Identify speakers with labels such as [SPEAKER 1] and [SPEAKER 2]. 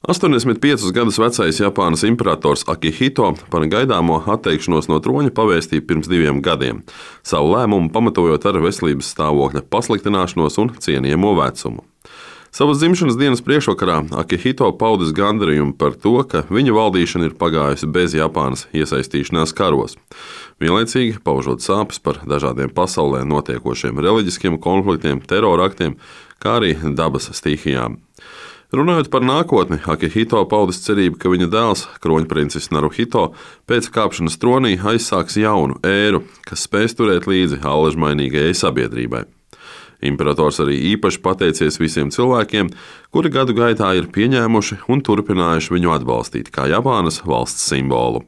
[SPEAKER 1] 85 gadus vecais Japānas imperators Akihito par gaidāmo atteikšanos no troņa pavēstīja pirms 2 gadiem, savu lēmumu pamatojot ar veselības stāvokļa pasliktināšanos un cienījamo vecumu. Savas dzimšanas dienas priekšvakarā Akihito paudis gandarījumu par to, ka viņa valdīšana ir pagājusi bez Japānas iesaistīšanās karos, vienlaicīgi paužot sāpes par dažādiem pasaulē notiekošiem reliģiskiem konfliktiem, teroraktiem, kā arī dabas stihijām. Runājot par nākotni, Akihito paudis cerību, ka viņa dēls, kroņprincis Naruhito, pēc kāpšanas tronī aizsāks jaunu ēru, kas spēs turēt līdzi allažmainīgajai sabiedrībai. Imperators arī īpaši pateicies visiem cilvēkiem, kuri gadu gaitā ir pieņēmuši un turpinājuši viņu atbalstīt kā Japānas valsts simbolu.